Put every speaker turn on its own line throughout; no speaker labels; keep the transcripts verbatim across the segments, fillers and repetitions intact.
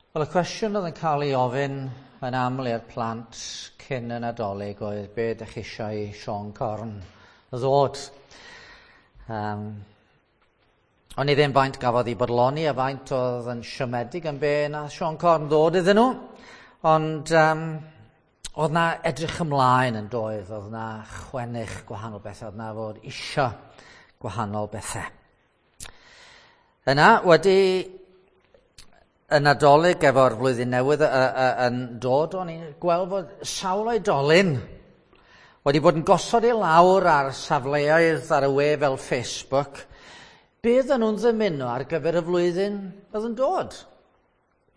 Wel, y cwestiwn oedd yn cael ei ofyn yn aml i'r plant cyn y Nadolig oedd be ydych chi eisiau i Siôn Corn ddod. Um, o'n i ddim faint gafodd ei bodloni a faint oedd yn siomedig yn be na Siôn Corn ddod iddyn nhw. Ond um, oedd na edrych ymlaen yn doedd, oedd na chwennych gwahanol bethau, oedd na fod isio gwahanol bethau. Yna, wedi y Nadolig efo'r flwyddyn newydd yn dod, o'n i'n gweld fod sawl oedolyn wedi bod yn gosod i lawr ar safleoedd ar y we fel Facebook, be oedden nhw'n ddymuno ar gyfer y flwyddyn oedd yn dod.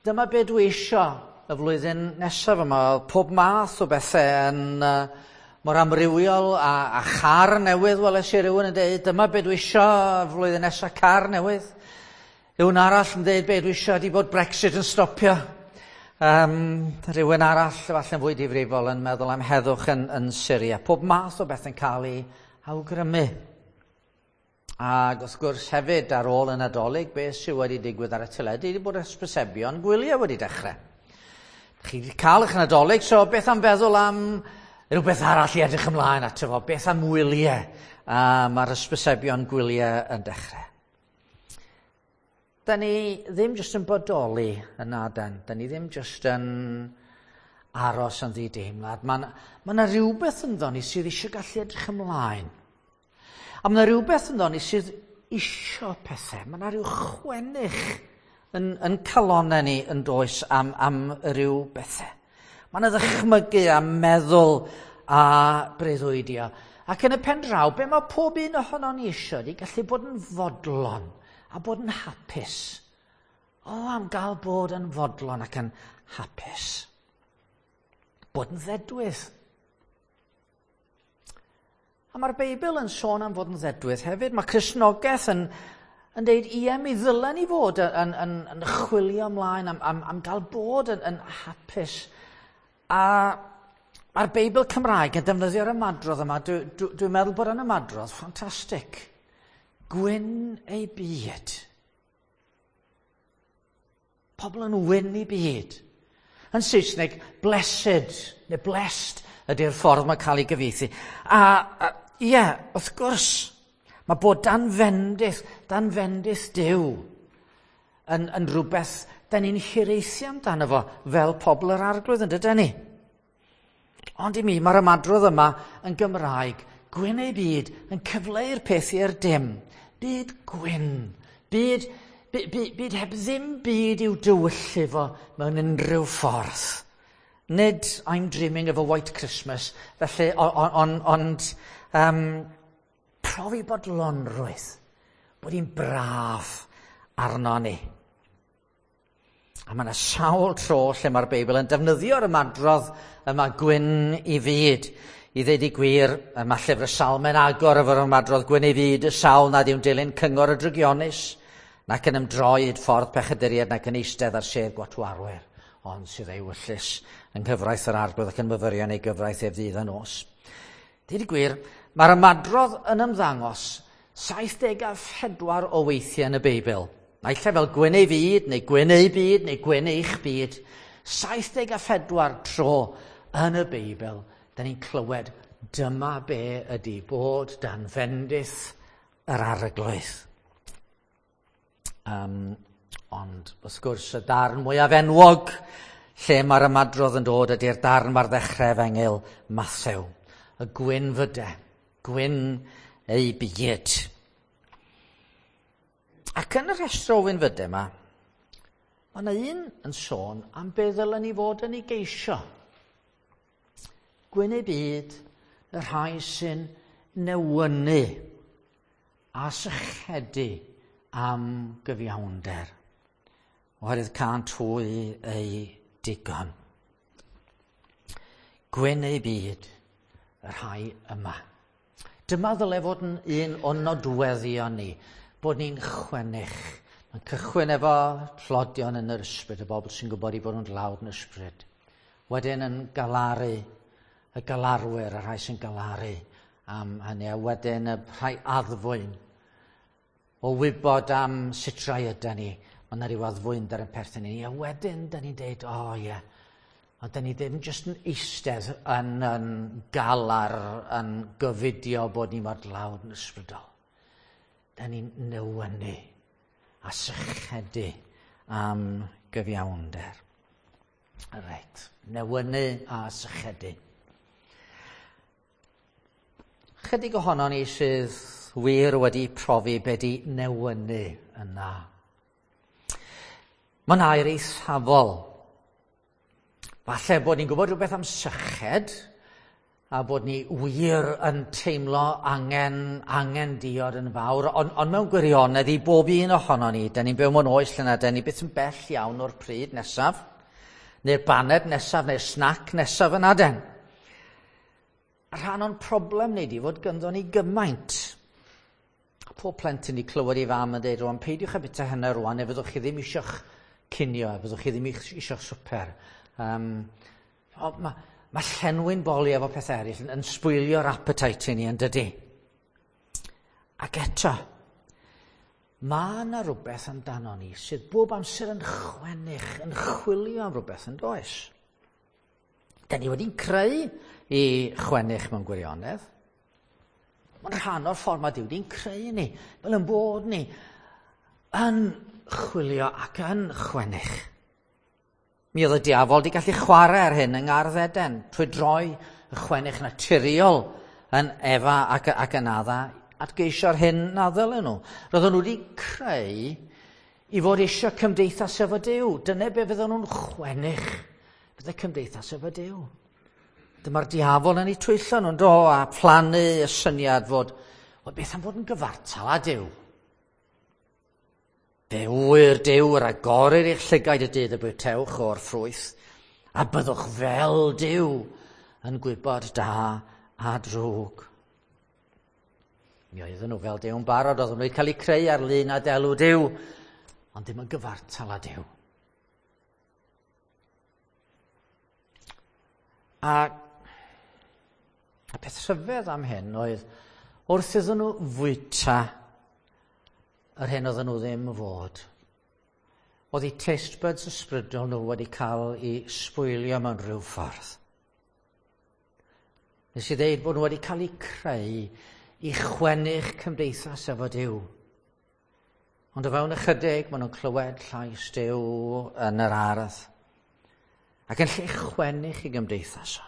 Dyma be dwi isio y flwyddyn nesaf yma. Pob math o bethau yn uh, mor amrywiol a, a char newydd, weles i rywun yn dweud, dyma be dwi isio y flwyddyn nesaf, car newydd. Rhywun arall yn dweud be dwi eisiau ydy bod Brexit yn stopio. Um, rhywun arall, efallai'n fwy difrifol, yn meddwl am heddwch yn, yn Syria. Pob math o beth yn cael ei awgrymu. Ac wrth gwrs hefyd ar ôl y Nadolig, beth sydd wedi digwydd ar y teledu ydy bod hysbysebion gwyliau wedi dechrau. Chi wedi cael eich Nadolig, so beth am feddwl am rhywbeth arall i edrych ymlaen ato fo? Beth am wyliau? A mae'r hysbysebion gwyliau yn dechrau. Da ni ddim jyst yn bodoli yn adan. Da ni ddim jyst yn aros yn ddideimlad. Mae yna ma rhywbeth ynddo ni sydd eisiau gallu edrych ymlaen. A mae yna rhywbeth ynddo ni sydd eisiau pethau. Mae yna rhyw chwennych yn, yn calonau ni yn does am, am ryw bethau. Mae yna ddychmygu a meddwl a breuddwydio. Ac yn y pen draw, be mae pob un ohono ni eisiau ydy gallu bod yn fodlon a bod yn hapus. O, am gael bod yn fodlon ac yn hapus. Bod yn ddedwydd. A mae'r Beibl yn sôn am fod yn ddedwydd hefyd. Mae Cristnogaeth yn, yn deud, ie, mi ddylen ni fod yn, yn, yn chwilio ymlaen am, am, am gael bod yn, yn hapus. A mae'r Beibl Cymraeg yn defnyddio'r ymadrodd yma. Dwi'n dwi, dwi meddwl bod yn ymadrodd ffantastig. Gwyn ei byd. Pobl yn wyn ei byd. Yn Saesneg, blessed, neu blessed ydy'r ffordd mae'n cael ei gyfieithu. A, a ie, yeah, wrth gwrs, mae bod dan fendith, dan fendith Duw yn, yn rhywbeth da ni'n hiraethu amdano fo fel pobl yr Arglwydd, yn dydyn ni? Ond i mi, mae'r ymadrodd yma yn Gymraeg, gwyn ei byd, yn cyfleu'r peth i'r dim. Byd gwyn, byd, byd, byd, byd heb ddim byd i'w dywyllu fo mewn unrhyw ffordd. Nid I'm dreaming of a white Christmas, felly, ond on, on, um, profi bodlonrwydd, bod hi'n braf arno ni. A mae yna sawl tro lle mae'r Beibl yn defnyddio'r ymadrodd yma gwyn i fyd. I ddeud i gwir, mae llyfr y Salmau'n agor efo'r ymadrodd gwyn ei fyd, y sawl nad yw'n dilyn cyngor y drygionus, nac yn ymdroi i ffordd pechaduriaid, nac yn eistedd ar sedd gwatwarwyr, ond sydd ei wyllys yng nghyfraith yr Arglwydd ac yn myfyrio yn ei gyfraith ef ddydd a nos. Deud y gwir, mae'r ymadrodd yn ymddangos saith deg a phedwar o weithiau yn y Beibl. Naill ai fel gwyn ei fyd, neu gwyn ei byd, neu gwyn eich byd. saith deg a phedwar tro yn y Beibl, da ni'n clywed dyma be ydy bod dan fendith yr Arglwydd. Um, ond, wrth gwrs, y darn mwyaf enwog lle mae'r ymadrodd yn dod ydy'r darn mae'r ddechrau efengyl Mathew. Y gwyn fyde, gwyn ei byd. Ac yn y rhestr o wynfydau yma, mae yna un yn sôn am be ddylen ni fod yn ei geisio. Gwyn ei byd, y rhai sy'n newynu a sychedu am gyfiawnder, oherwydd cânt hwy eu digon. Gwyn ei byd, y rhai yma. Dyma ddyle fod yn un o nodweddion ni, bod ni'n chwennych. Mae'n cychwyn efo tlodion yn yr ysbryd, y bobl sy'n gwybod i bod nhw'n dlawd yn ysbryd. Wedyn yn galaru, y galarwyr, y rhai sy'n galaru am hynny, a wedyn y rhai addfwyn o wybod am sut rai yda ni, Mae yna rhyw addfwynder yn perthyn i ni. A wedyn, da ni'n deud, o oh, ie, yeah. Ond da ni ddim jyst yn eistedd yn, yn galar, yn gofidio bod ni mor dlawd yn ysbrydol. Da ni'n newynu a sychedu am gyfiawnder. Reit, newynu a sychedu. Chydig ohono ni sydd wir wedi profi be di newynu yna. Mae'n air eithafol. Falle bod ni'n gwybod rhywbeth am syched, a bod ni wir yn teimlo angen, angen diod yn fawr, ond on mewn gwirionedd i bob un ohono ni, da ni'n byw mewn oes lle na, da ni byth yn bell iawn o'r pryd nesaf, neu'r baned nesaf, neu'r snack nesaf yna den. A rhan o'n problem ni di fod gynddo ni gymaint. Pob plentyn i clywed i fam yn dweud, rwan, peidiwch â bwyta hynny rwan, neu fyddwch chi ddim eisiau'ch cinio, fyddwch chi ddim eisiau'ch swper. Um, Mae ma llenwi'n boli efo pethau eraill yn, yn sbwylio'r appetite i ni, yn dydy. Ac eto, mae yna rhywbeth amdano ni sydd bob amser yn chwennych, yn chwilio am rhywbeth yn does. Da ni wedi'n creu i chwennych mewn gwirionedd. Mae'n rhan o'r ffordd mae Duw wedi'n creu ni, fel yn bod ni yn chwilio ac yn chwennych. Mi oedd y diafol wedi gallu chwarae ar hyn yng Ngardd Eden, trwy droi y chwennych naturiol yn Efa ac, ac yn Adda at geisio'r hyn na ddylen nhw. Roedden nhw wedi creu i fod eisiau cymdeithas efo Duw. Dyna be fydden nhw'n chwennych, bydde cymdeithas efo Duw. Dyma'r diafol yn eu twyllo nhw'n do, a phlannu y syniad fod, o beth am fod yn gyfartal â Duw? Fe ŵyr Duw yr agorir eich llygaid y dydd y bwytewch o'r ffrwyth, a byddwch fel Duw yn gwybod da a drwg. Mi oedden nhw fel Duw'n barod, oedden nhw wedi cael eu creu ar lun a delw Duw, ond ddim yn gyfartal â Duw. A y peth rhyfedd am hyn oedd, wrth iddyn nhw fwyta yr hyn oedden nhw ddim fod, oedd eu taste buds ysbrydol nhw wedi cael eu sbwylio mewn rhyw ffordd. Nes i ddeud bod nhw wedi cael eu creu i chwennych cymdeithas efo Duw. Ond o fewn ychydig, maen nhw'n clywed llais Duw yn yr ardd. Ac yn lle chwennych i gymdeithas o.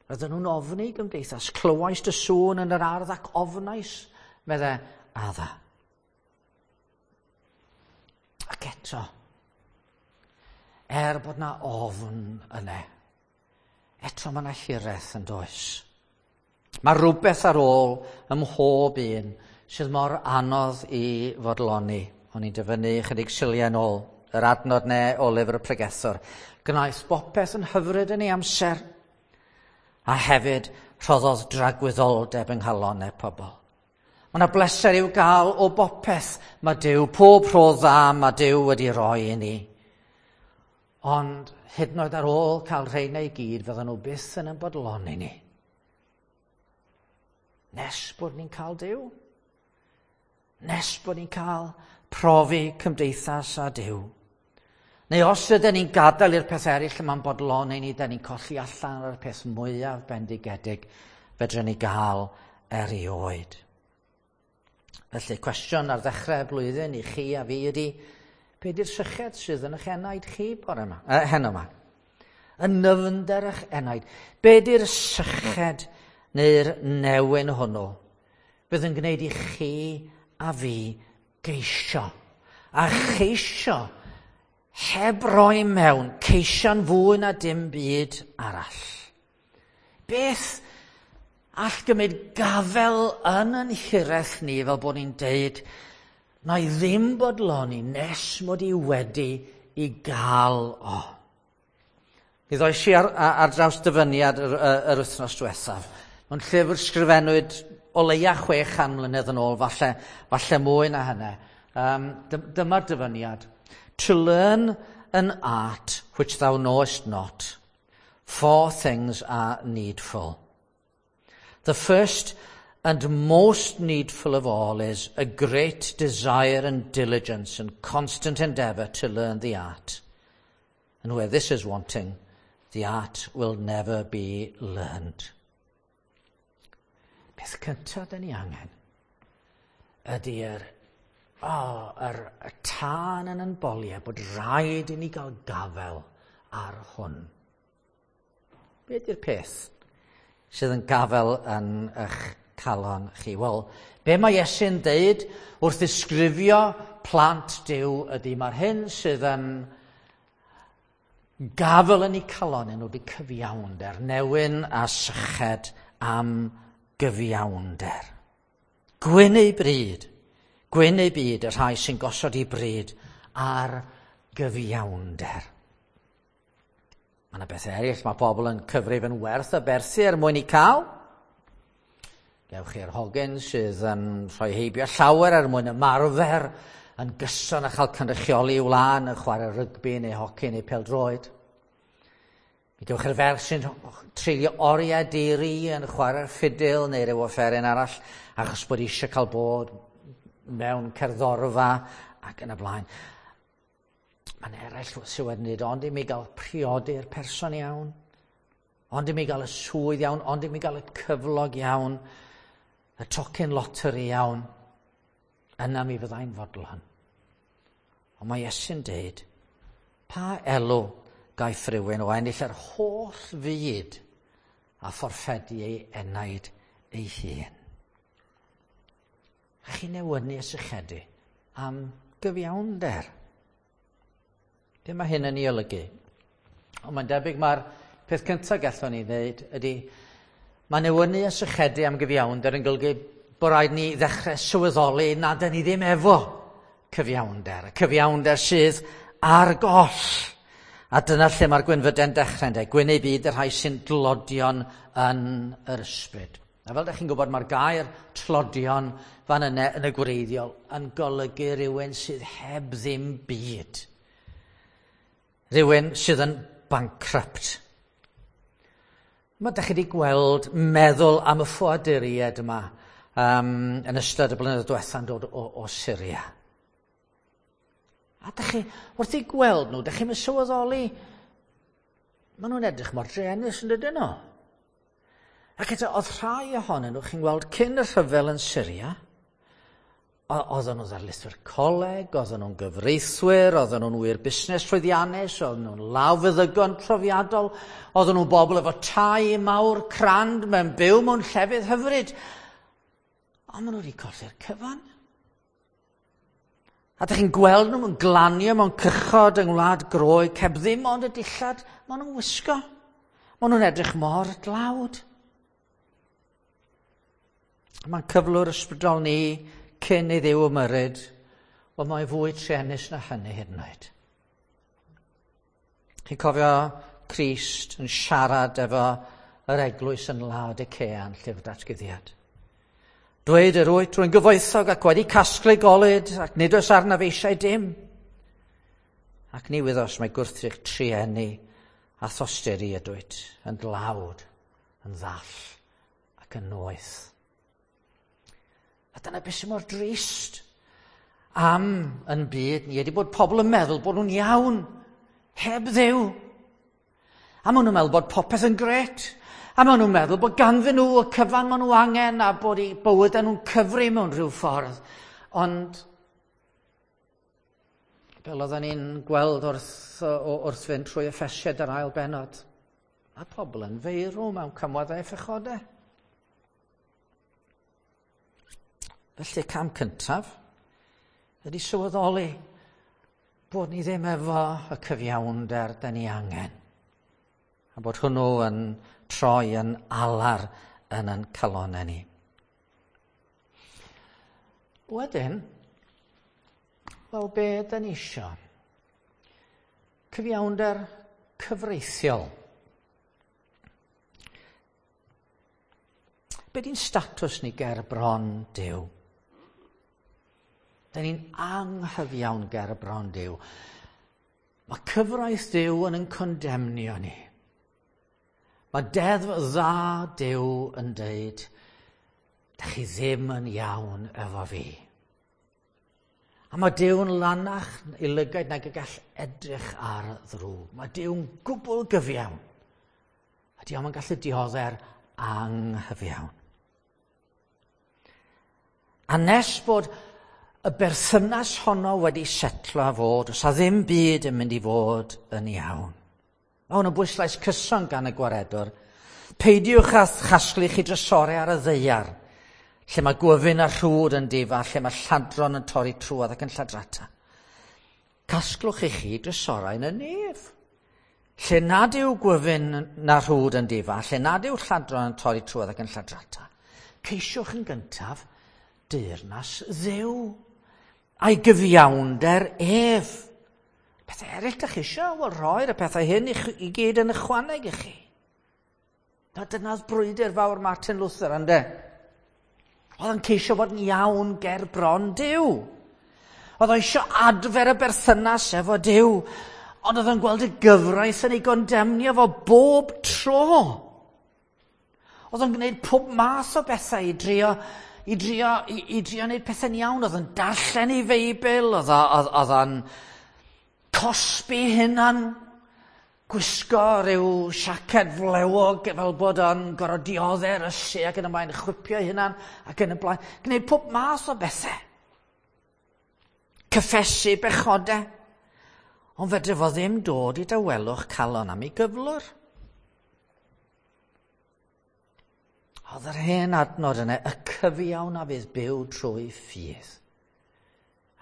Roedden nhw'n ofni gymdeithas. Clywais dy sŵn yn yr ardd ac ofnais, medde Adda. Ac eto, er bod na ofn yna, eto mae yna hiraeth yn does. Mae rhywbeth ar ôl ym mhob un sydd mor anodd i fodloni. O'n i'n dyfynnu chydig siliau yn ôl, yr adnod ne o lyfr y pregethwr. Gwnaeth bopeth yn hyfryd yn ei amser, a hefyd rhoddodd dragwyddoldeb yng nghalonnau pobl. Mae yna bleser i'w gael o bopeth mae Duw, pob rhodd dda mae Duw wedi roi i ni. Ond hyd yn oed ar ôl cael rheina i gyd, fydden nhw byth yn ein bodloni ni. Nes bod ni'n cael Duw. Nes bod ni'n cael profi cymdeithas â Duw. Neu os ydyn ni'n gadael i'r peth eraill yma'n bodloni ni, dyn ni'n colli allan ar y peth mwyaf bendigedig fedrwn ni gael erioed. Felly, cwestiwn ar ddechrau y blwyddyn i chi a fi ydy, be di'r syched sydd yn eich enaid chi bore yma, eh, heno yma? Yn nyfnder eich enaid. Be di'r syched neu'r newyn hwnnw bydd yn gwneud i chi a fi geisio? A cheisio heb roi mewn, ceisio'n fwy na dim byd arall. Beth all gymryd gafel yn yn hiraeth ni fel bod ni'n deud, na i ddim bodloni nes mod i wedi i gael o. Mi ddois i ar, ar draws dyfyniad yr, yr wythnos diwethaf. Mewn llyfr sgrifennwyd o leia chwe chan mlynedd yn ôl, falle, falle mwy na hynny. Um, dyma'r dyfyniad. To learn an art which thou knowest not, four things are needful. The first, And most needful of all is a great desire and diligence and constant endeavour to learn the art. And where this is wanting, the art will never be learned. Peth cyntaf dyn ni angen ydy'r oh, yr, y tân yn yn boliau bod rhaid i ni gael gafel ar hwn. Be ydy'r peth sydd yn gafel yn eich calon chi? Wel, be mae Iesu'n deud wrth ddisgrifio plant Duw ydy mae'r hyn sydd yn gafel yn eu calon nhw ydy cyfiawnder, newyn a syched am gyfiawnder. Gwyn eu bryd, gwyn eu byd y rhai sy'n gosod eu bryd ar gyfiawnder. Mae yna bethau eraill mae pobl yn cyfrif yn werth aberthu er mwyn i cael. Gewch chi'r hogyn sydd yn rhoi heibio llawer er mwyn ymarfer yn gyson a chael cynrychioli wlad yn chwarae rygbi neu hoci neu pêl-droed. Mi gewch chi'r ferch sy'n treulio oriau di-ri yn chwarae'r ffidil neu ryw offeryn arall achos bod eisiau cael bod mewn cerddorfa ac yn y blaen. Mae'n eraill sydd wedi dweud, ond i mi gael priodi'r person iawn, ond i mi gael y swydd iawn, ond i mi gael y cyflog iawn, y tocyn loteri iawn, yna mi fyddai'n fodlon. Ond mae Iesu'n deud, pa elw gaiff rhywun o ennill yr holl fyd a fforffedu ei enaid ei hun? A chi'n newynu a sychedu am gyfiawnder. Be mae hyn yn ei olygu? Ond mae'n debyg mae'r peth cyntaf gallwn ni ddeud ydy mae newynu a sychedu am gyfiawnder yn golygu bod rhaid ni ddechrau sylweddoli nad ydyn ni ddim efo cyfiawnder. Y cyfiawnder sydd ar goll. A dyna lle mae'r gwynfydau'n dechrau, ynde? Gwyn eu byd y rhai sy'n dlodion yn yr ysbryd. A fel ydych chi'n gwybod, mae'r gair tlodion fan yna yn y gwreiddiol yn golygu rhywun sydd heb ddim byd. Rhywun sydd yn bankrupt. Mae ydych chi wedi gweld meddwl am y ffoaduriaid yma um, yn ystod y blynyddoedd diwetha'n dod o, o Syria. A ydych chi, wrth i gweld nhw, ydych chi'n sylweddoli, maen nhw'n edrych mor druenus yn dydyn nhw. Ac eto, oedd rhai ohonyn nhw, chi'n gweld, cyn y rhyfel yn Syria, oedden nhw'n ddarlithwyr coleg, oedden nhw'n gyfreithwyr, oedden nhw'n wyr busnes llwyddiannus, oedden nhw'n lawfeddygon profiadol, oedden nhw'n bobl efo tai mawr crand mewn byw mewn llefydd hyfryd. Ond maen nhw wedi colli'r cyfan. A ydych chi'n gweld nhw'n glanio mewn cychod yng Ngwlad Groeg, heb ddim ond y dillad maen nhw'n wisgo. Maen nhw'n edrych mor dlawd. Mae'n cyflwr ysbrydol ni cyn i Dduw ymyrryd, wel mae'n fwy truenus na hynny hyd yn oed. Chi'n cofio Crist yn siarad efo yr eglwys yn Laodicea yn Llyfr Datguddiad. Dweud yr wyt rwy'n gyfoethog ac wedi casglu golud ac nid oes arnaf eisiau dim. Ac ni wyddos mae gwrthrych trueni a thosturi ydwyt yn dlawd, yn ddall ac yn noeth. A dyna beth sy'n mor drist am yn byd ni ydy bod pobl yn meddwl bod nhw'n iawn, heb Dduw. A maen nhw'n meddwl bod popeth yn grêt. A maen nhw'n meddwl bod ganddyn nhw y cyfan maen nhw angen a bod eu bywydau nhw'n cyfri mewn rhyw ffordd. Ond fel oedden ni'n gweld wrth, wrth fynd trwy Effesiaid yr ail bennod, mae pobl yn feirw mewn camweddau a phechodau. Felly cam cyntaf ydy sylweddoli bod ni ddim efo y cyfiawnder da ni angen. A bod hwnnw yn troi yn alar yn ein calonnau ni. Wedyn, wel be da ni isio? Cyfiawnder cyfreithiol. Be di'n statws ni ger bron Duw? Da ni'n anghyfiawn ger bron Duw. Mae cyfraith Duw yn yn condemnio ni. Mae deddf dda Duw yn deud, Dach chi ddim yn iawn efo fi. A mae Duw'n lanach i lygaid nag y gall edrych ar ddrwg. Mae Duw'n gwbl gyfiawn. A Duw yn gallu diodde'r anghyfiawn. A nes bod y berthynas honno wedi setlo a fod, os a ddim byd yn mynd i fod yn iawn. Mae hwn yn bwyslais cyson gan y gwaredwr. Peidiwch â chasglu chi drysorau ar y ddaear, lle mae gwyfyn a rhwd yn difa, lle mae lladron yn torri trwodd ac yn lladrata. Casglwch i chi drysorau yn y nef, lle nad yw gwyfyn na rhwd yn difa, lle nad yw lladron yn torri trwodd ac yn lladrata. Ceisiwch yn gyntaf deyrnas Dduw a'i gyfiawnder ef. Pethau eraill dych chi eisiau, wel roi'r y pethau hyn i, i gyd yn ychwaneg i chi. Na dyna'r brwydr fawr Martin Luther, ynde? Oedd yn ceisio bod yn iawn ger bron Duw. Oedd o eisiau adfer y berthynas efo Duw, ond oedd yn gweld y gyfraith yn ei gondemnio fo bob tro. Oedd o'n gwneud pob math o bethau i drio, i drio, i, i drio wneud pethau'n iawn. Oedd o'n darllen ei Feibl, oedd oedd o'n cosbi hunan, gwisgo rhyw siaced flewog fel bod o'n gorfod diodde'r ysu ac yn y blaen, chwipio hunan ac yn y blaen. Gwneud pob math o bethau. Cyffesu bechodau. Ond fedre fo ddim dod i dawelwch calon am ei gyflwr. Oedd yr hen adnod yna, y cyfiawn a fydd byw trwy ffydd.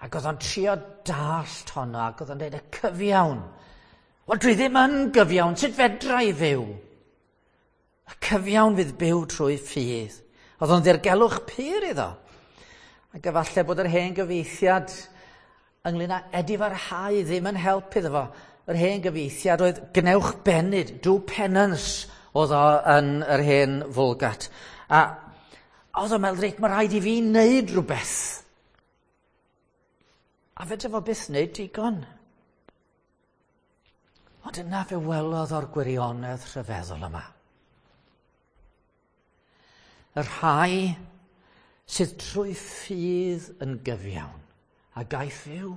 Ac oedd o'n trio dallt honno, ac oedd o'n dweud y cyfiawn. Wel, dwi ddim yn gyfiawn, sut fedra i fyw? Y cyfiawn fydd byw trwy ffydd. Oedd o'n ddirgelwch pur iddo. Ac efallai bod yr hen gyfieithiad ynglyn â edifarhau ddim yn help iddo fo. Yr hen gyfieithiad oedd gwnewch benyd, do penance, oedd o yn yr hen Vulgate. A oedd o'n meddwl, reit, mae rhaid i fi wneud rhywbeth. A fedra fo byth wneud digon. Ond yna fe welodd o'r gwirionedd rhyfeddol yma. Y rhai sydd trwy ffydd yn gyfiawn a gaiff fyw.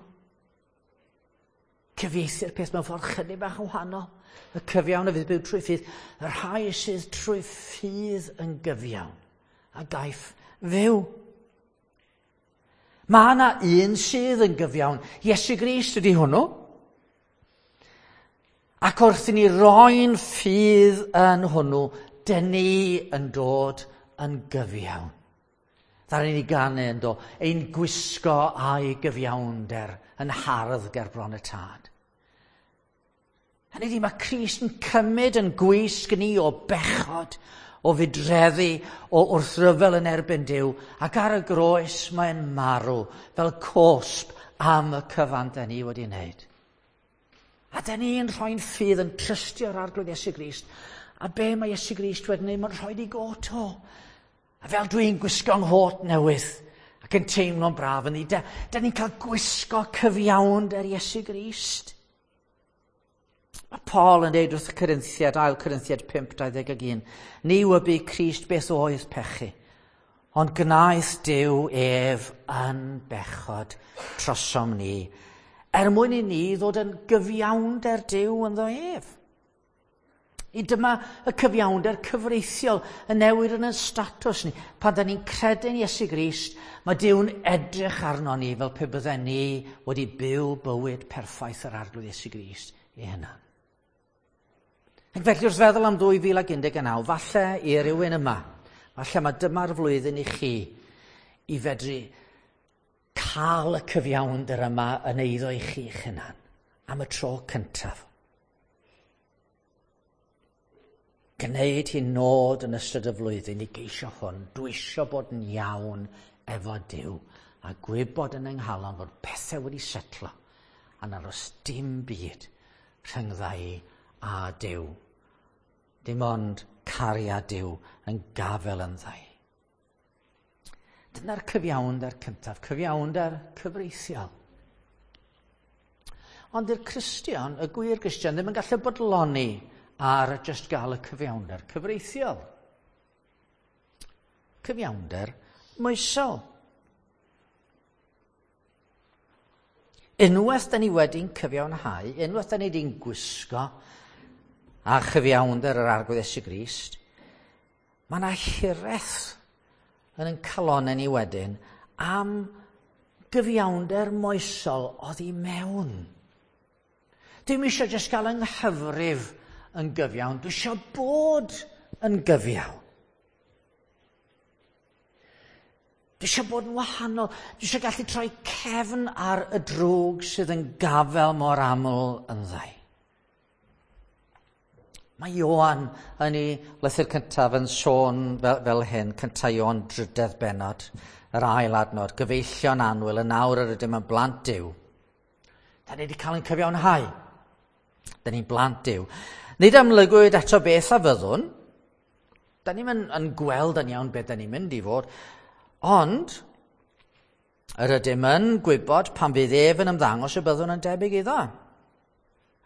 Cyfieithu'r peth mewn ffordd chydig bach yn wahanol. Y cyfiawn a fydd byw trwy ffydd. Y rhai sydd trwy ffydd yn gyfiawn a gaiff fyw. Mae yna un sydd yn gyfiawn. Iesu Grist ydy hwnnw. Ac wrth i ni roi'n ffydd yn hwnnw, dyn ni yn dod yn gyfiawn. Ddaru ni ganu yn do, ein gwisgo a'i gyfiawnder yn hardd ger bron y tad. Hynny ydi, mae Crist yn cymryd yn gwisg ni o bechod, o fudreddi, o wrthryfel yn erbyn Duw, ac ar y groes mae'n marw fel cosb am y cyfan da ni wedi wneud. A da ni'n rhoi'n ffydd yn trystio'r Arglwydd Iesu Grist. A be mae Iesu Grist wedi wneud? Mae'n rhoi ei got o. A fel dwi'n gwisgo 'nghot newydd ac yn teimlo'n braf yn ni, da, da ni'n cael gwisgo cyfiawnder Iesu Grist. Mae Paul yn dweud wrth y Corinthiad, ail Corinthiad pump dau ddeg un, ni wybu Crist beth oedd pechu, ond gwnaeth Duw ef yn bechod trosom ni, er mwyn i ni ddod yn gyfiawnder Duw ynddo ef. I dyma y cyfiawnder cyfreithiol y newid yn y statws ni. Pan da ni'n credu'n Iesu Grist, mae Duw'n edrych arno ni fel pe bydden ni wedi byw bywyd perffaith yr Arglwydd Iesu Grist ei hunan. Ac felly wrth feddwl am dwy fil ac un deg naw, falle i rywun yma, falle mae dyma'r flwyddyn i chi i fedru cael y cyfiawnder yma yn eiddo i chi'ch hunan am y tro cyntaf. Gwneud hi'n nod yn ystod y flwyddyn i geisio hwn, dwi isio bod yn iawn efo Duw a gwybod yn yng nghalon fod pethau wedi setlo a nad oes dim byd rhyngdda i a Duw. Dim ond cariad Duw yn gafel ynddo i. Dyna'r cyfiawnder cyntaf, cyfiawnder cyfreithiol. Ond i'r Cristion, y gwir Gristion, ddim yn gallu bodloni ar just gael y cyfiawnder cyfreithiol. Cyfiawnder moesol. Unwaith da ni wedi'n cyfiawnhau, unwaith da ni wedi'n gwisgo a chyfiawnder yr Arglwydd Iesu Grist, mae yna hiraeth yn ein calonnau ni wedyn am gyfiawnder moesol oddi mewn. Dwi'm eisiau jyst gael yng nghyfrif yn gyfiawn, dwi eisiau bod yn gyfiawn. Dwi eisiau bod yn wahanol, dwi eisiau gallu troi cefn ar y drwg sydd yn gafel mor aml ynddau. Mae Ioan yn ei lythyr cyntaf yn sôn fel, fel hyn, cyntaf Ioan drydedd bennod, yr ail adnod, gyfeillion annwyl, yn awr yr ydym yn blant Duw. Da ni wedi cael ein cyfiawnhau. Da ni'n blant Duw. Nid amlygwyd eto beth a fyddwn. Da ni'n yn, yn gweld yn iawn beth da ni'n mynd i fod. Ond, yr ydym yn gwybod pan fydd ef yn ymddangos y byddwn yn debyg iddo.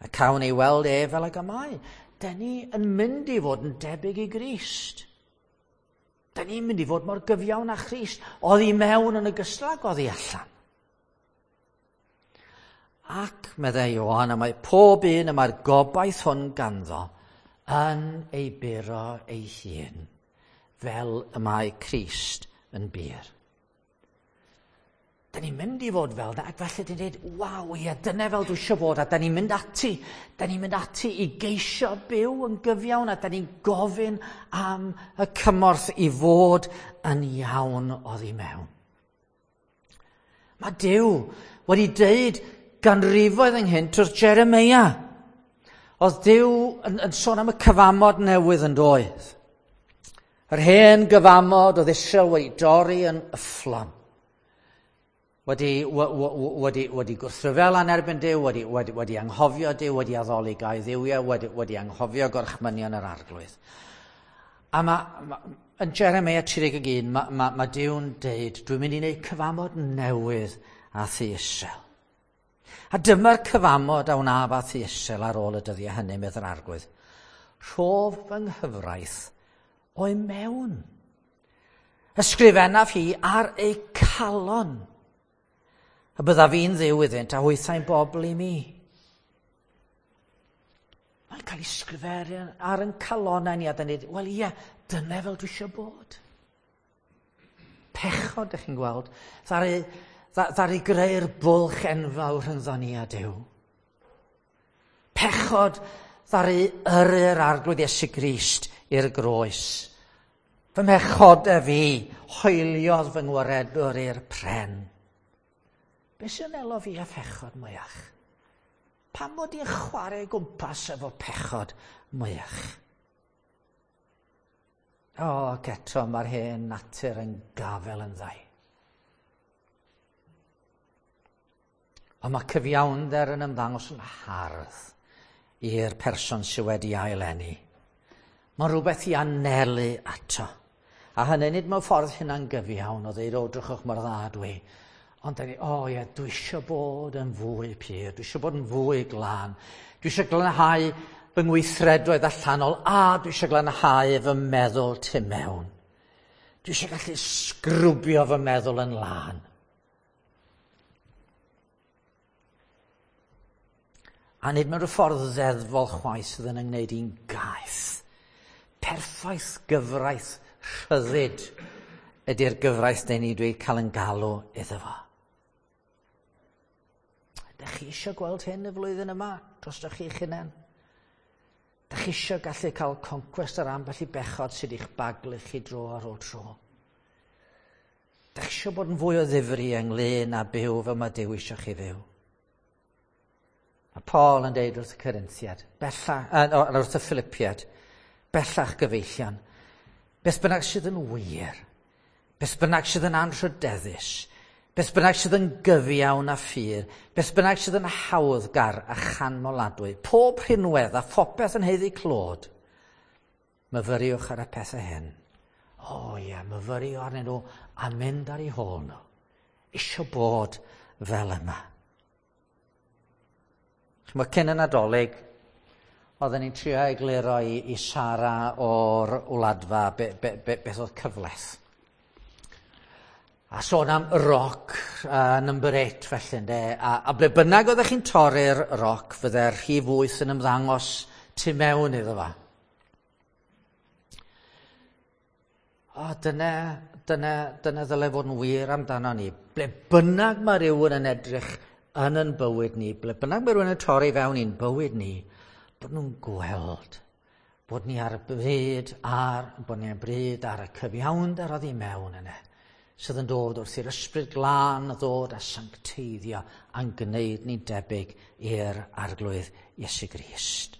A cawn ei weld ef fel ag y mae. Da ni yn mynd i fod yn debyg i Grist. Da ni'n mynd i fod mor gyfiawn â Christ, oddi mewn yn ogystal ag oddi allan. Ac, meddai Ioan, y mae pob un y mae'r gobaith hwn ganddo yn ei buro ei hun, fel y mae Crist yn bur. Da ni'n mynd i fod fel da, ac felly dyn ni'n dweud, waw, ie, dyna fel dwi eisiau bod, a da ni'n mynd ati, da ni'n mynd ati i geisio byw yn gyfiawn, a da ni'n gofyn am y cymorth i fod yn iawn oddi mewn. Mae Duw wedi deud ganrifoedd ynghynt wrth Jeremia. Oedd Duw yn, yn sôn am y cyfamod newydd yn doedd. Yr hen gyfamod oedd Israel wedi dorri yn yfflon. Wedi, wedi, wedi gwrthryfela yn erbyn Duw, wedi, wedi, wedi anghofio Duw, wedi addoli gau dduwiau, wedi, wedi anghofio gorchmynion yr Arglwydd. A ma, ma, yn Jeremia tri deg un, mae ma, ma Duw'n deud, dwi'n mynd i wneud cyfamod newydd â thŷ Israel. A dyma'r cyfamod a wnaf â thŷ Israel ar ôl y dyddiau hynny, medd yr Arglwydd. Rhof fy nghyfraith o'i mewn. Ysgrifennaf hi ar eu calon. A byddaf fi'n ddiw iddynt a hwythau'n bobl i mi. Mae'n cael ei sgrifennu ar ein calonnau ni a dyn ni, wel ie, dyna fel dwi eisiau bod. Pechod, ydych chi'n gweld, ddaru, ddaru greu'r bwlch enfawr rhyngddo ni a Duw. Pechod ddaru yrru'r Arglwydd Iesu Grist i'r groes. Fy mhechodau fi hoeliodd fy ngwaredwr i'r pren. Be sy'n elo fi a phechod mwyach? Pam mod i'n chwarae gwmpas efo pechod mwyach? O, ac eto mae'r hen natur yn gafel yn ddau. Ond mae cyfiawnder yn ymddangos yn hardd i'r person sydd wedi aileni. Mae'n rhywbeth i anelu ato. A hynny nid mewn ffordd hynna'n gyfiawn o ddeud, o, drychwch mor dda dwi. Ond da ni, o ie, dwi eisiau bod yn fwy pur, dwi eisiau bod yn fwy glân, dwi eisiau glanhau fy ngweithredoedd allanol, a dwi eisiau glanhau fy meddwl tu mewn. Dwi eisiau gallu sgrwbio fy meddwl yn lân. A nid mewn rhyw ffordd ddeddfol chwaith sydd yn ymwneud i'n gaeth. Perffaith gyfraith rhyddid ydy'r gyfraith dyn ni wedi cael yn galw iddo fo. Dych chi eisiau gweld hyn y flwyddyn yma drostoch chi'ch hunain? Dych chi eisiau gallu cael concwest ar ambell i bechod sydd i'ch baglu chi dro ar ôl tro? Dych chi eisiau bod yn fwy o ddifri ynglyn â byw fel mae Duw eisiau chi fyw? Mae Paul yn deud wrth y Corinthiad, bellach, uh, wrth y Philippiad, bellach gyfeillion, beth bynnag sydd yn wir, beth bynnag sydd yn anrhydeddus, beth bynnag sydd yn gyfiawn a ffyr, beth bynnag sydd yn hawddgar a chanmoladwy, pob rhinwedd a phopeth yn haeddu clod, myfyriwch ar y pethau hyn. O ie, myfyrio arnyn nhw a mynd ar eu hôl nhw. Isio bod fel yma. Chymod, cyn y Nadolig, oedden ni'n trio egluro i, i Sara o'r Wladfa be, be, be, beth oedd cyfleth. A sôn am roc uh, number eight felly, ynde. A, a ble bynnag oeddech chi'n torri'r roc, fydde'r rhif wyth yn ymddangos tu mewn iddo fo. O, dyna, dyna, dyna ddyle fod yn wir amdano ni. Ble bynnag mae rhywun yn edrych yn yn bywyd ni, ble bynnag mae rhywun yn torri fewn i'n bywyd ni, bod nhw'n gweld bod ni ar y bryd ar, bod ni ar bryd ar y cyfiawnder oddi mewn yna, sydd yn dod wrth i'r Ysbryd Glân ddod a sancteiddio a'n gwneud ni'n debyg i'r Arglwydd Iesu Grist.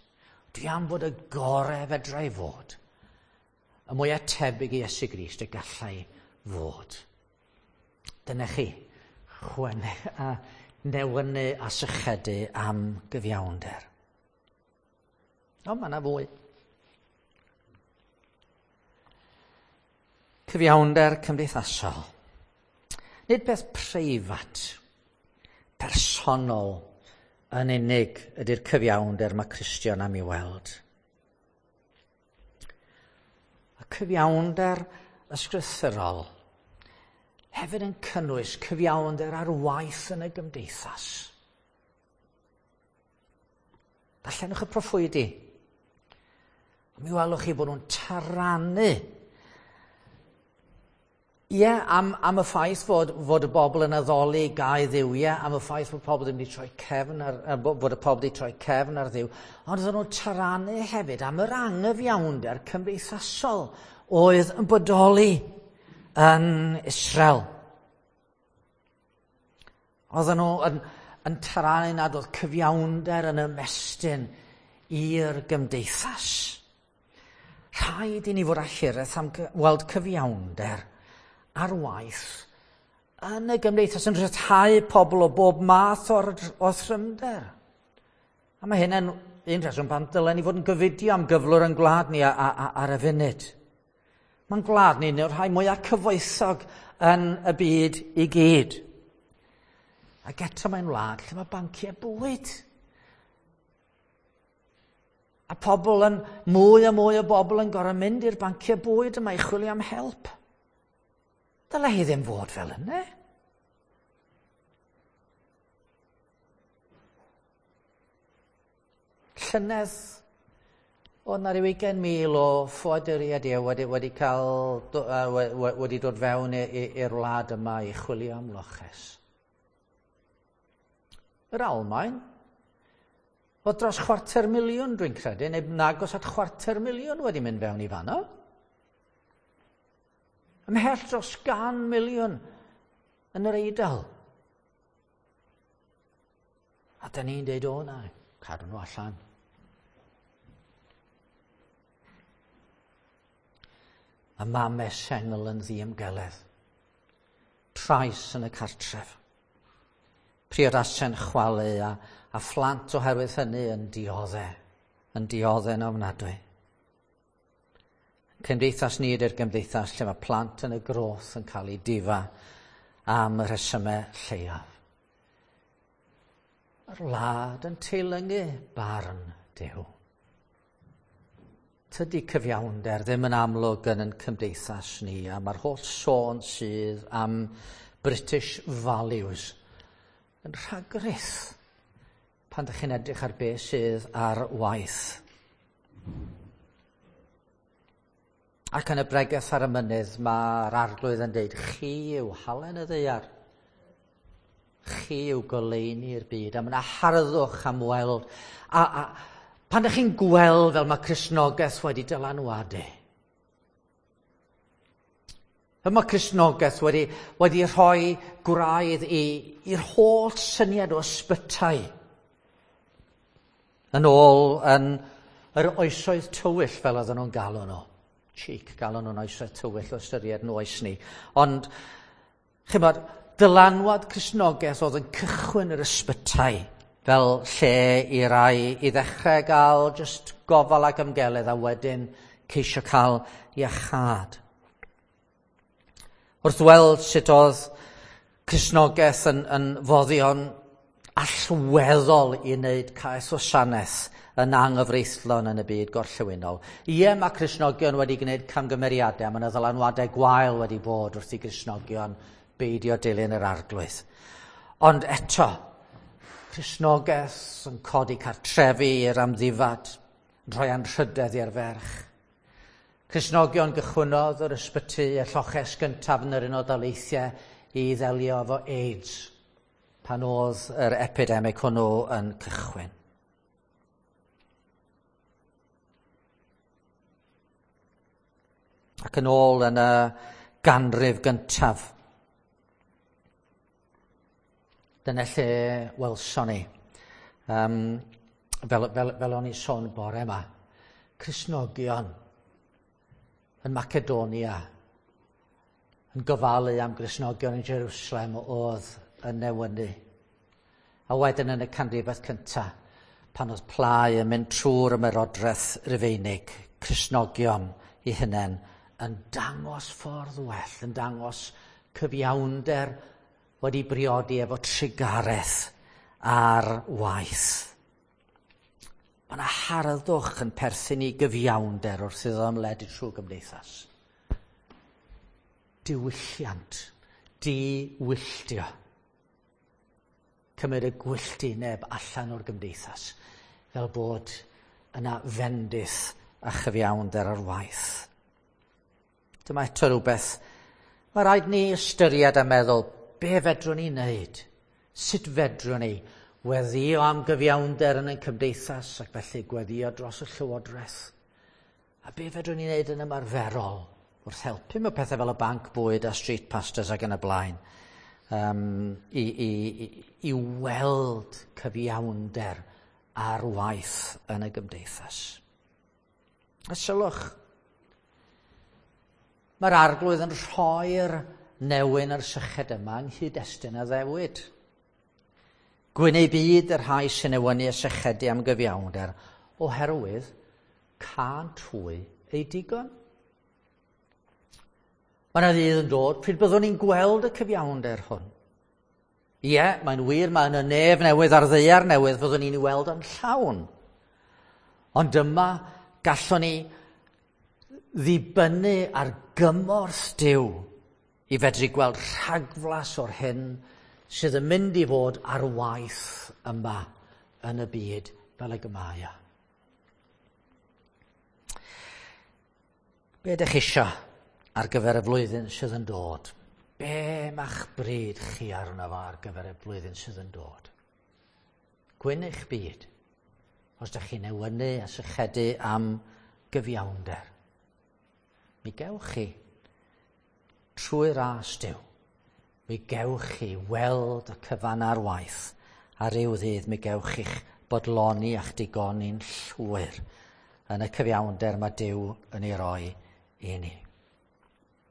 Dwi am fod y gorau fedra i fod, y mwyaf tebyg i Iesu Grist y gallai fod. Dyna chi, chwene a newynu a sychedu am gyfiawnder. Ond mae yna fwy. Cyfiawnder cymdeithasol. Nid peth preifat, personol yn unig ydy'r cyfiawnder mae Cristion am ei weld. Y cyfiawnder ysgrythurol hefyd yn cynnwys cyfiawnder ar waith yn y gymdeithas. Darllenwch y proffwydi. A mi welwch chi bod nhw'n taranu. Ie, am, am y ffaith fod, fod y bobl yn addoli gau Dduw, ie, am y ffaith fod pobl ddim wedi troi cefn ar, fod y pobl wedi troi cefn ar Dduw, ond oedden nhw'n taranu hefyd am yr anghyfiawnder cymdeithasol oedd yn bodoli yn Israel. Oedden nhw yn, yn taranu nad oedd cyfiawnder yn ymestyn i'r gymdeithas. Rhaid i ni fod â hiraeth am weld cyfiawnder ar waith yn y gymdeithas yn rhyddhau pobl o bob math o'r, o thrymder. A mae hynny'n un rheswm pan dylen ni fod yn gofidio am gyflwr yn gwlad ni a, a, a, ar y funud. Mae'n gwlad ni yw'r rhai mwyaf cyfoethog yn y byd i gyd. Ac eto mae'n wlad lle mae banciau bwyd. A pobl yn, mwy a mwy o bobl yn gorfod mynd i'r banciau bwyd yma i chwilio am help. Dylai hi ddim fod fel yna. Llynedd, oedd 'na ryw ugain mil o ffoaduriaid wedi, wedi, cael, wedi dod fewn i'r wlad yma i chwilio am loches. Yr Almaen, oedd dros chwarter miliwn dwi'n credu, neu nagos at chwarter miliwn wedi mynd fewn i fanno. Ymhell dros gan miliwn yn yr Eidal. A da ni'n deud, o na, cadw nhw allan. Mae mamau sengl yn ddiymgeledd. Trais yn y cartref. Priodasau'n chwalu a, a phlant oherwydd hynny yn dioddau, yn dioddau'n ofnadwy. Cymdeithas ni ydy'r gymdeithas lle mae plant yn y groth yn cael eu difa am y rhesymau lleiaf. Mae'r wlad yn teilyngu barn Duw. Tydi cyfiawnder ddim yn amlwg yn ein cymdeithas ni, a mae'r holl sôn sydd am British values yn rhagrith pan ydych chi'n edrych ar beth sydd ar waith. Ac yn y bregeth ar y mynydd, mae'r Arglwydd yn dweud, chi yw halen y ddaear, chi yw goleuni'r byd, a mae yna harddwch am weld. A, a pan ydych chi'n gweld fel mae Cristnogaeth wedi dylanwadu, fel mae Cristnogaeth wedi, wedi rhoi gwraidd i'r holl syniad o ysbytai yn ôl yn yr oesoedd tywyll fel oedden nhw'n galw nhw. Cheek, galw nhw'n oesoedd tywyll o ystyried yn oes ni. Ond, chimod, dylanwad Cristnogaeth oedd yn cychwyn yr ysbytai fel lle i rai i ddechrau gael just gofal ac ymgeledd a wedyn ceisio cael iachâd. Wrth weld sut oedd Cristnogaeth yn, yn foddion allweddol i wneud caethwasanaeth yn anghyfreithlon yn y byd gorllewinol. Ie, mae Cristnogion wedi gwneud camgymeriadau, mae yna ddylanwadau gwael wedi bod wrth i Gristnogion beidio dilyn yr Arglwydd. Ond eto, Cristnogaeth yn codi cartrefi i'r amddifad, yn rhoi anrhydedd i'r ferch. Cristnogion gychwynnodd yr ysbyty y lloches gyntaf yn yr Unol Daleithiau i ddelio efo AIDS pan oedd yr epidemig hwnnw yn cychwyn. Ac yn ôl yn y ganrif gyntaf, dyna lle welson ni, um, fel, fel, fel o'n i sôn bore yma, Cristnogion yn Macedonia yn gofalu am Gristnogion yn Jerusalem oedd yn newynu. A wedyn yn y canrifoedd cyntaf, pan oedd plau yn mynd trwy'r ymerodraeth Rufeinig, Cristnogion eu hunain yn dangos ffordd well, yn dangos cyfiawnder wedi briodi efo trugaredd ar waith. Mae yna harddwch yn perthyn i gyfiawnder wrth iddo ymledu trwy gymdeithas. Diwylliant, diwylltio. Cymryd y gwylltineb allan o'r gymdeithas, fel bod yna fendith a chyfiawnder ar waith. Dyma eto rhywbeth mae rhaid ni ystyried a meddwl, be fedrwn ni wneud? Sut fedrwn ni weddio am gyfiawnder yn ein cymdeithas ac felly gweddio dros y llywodraeth? A be fedrwn ni wneud yn ymarferol wrth helpu mewn pethau fel y banc bwyd a street pastors ac yn y blaen um, i, i, i, i weld cyfiawnder ar waith yn y gymdeithas. A sylwch, mae'r Arglwydd yn rhoi'r newyn a'r syched yma yng nghyd-destun addewid. Gwyn eu byd y rhai sy'n newynu a sychedu am gyfiawnder, oherwydd cânt hwy eu digon. Mae yna ddydd yn dod pryd byddwn ni'n gweld y cyfiawnder hwn. Ie, mae'n wir, mae yna nef newydd a'r ddaear newydd fyddwn ni'n ei weld yn llawn. Ond yma gallwn ni ddibynnu ar gymorth Duw i fedru gweld rhagflas o'r hyn sydd yn mynd i fod ar waith yma yn y byd fel ag y mae o. Be ydych chi isio ar gyfer y flwyddyn sydd yn dod? Be ma'ch bryd chi arno fo ar gyfer y flwyddyn sydd yn dod? Gwyn eich byd, os ydych chi'n newynu a sychedu am gyfiawnder. Mi gewch chi, trwy ras Duw, mi gewch chi weld y cyfan ar waith, a ryw ddydd mi gewch chi'ch bodloni a'ch digoni'n llwyr yn y cyfiawnder mae Duw yn ei roi i ni.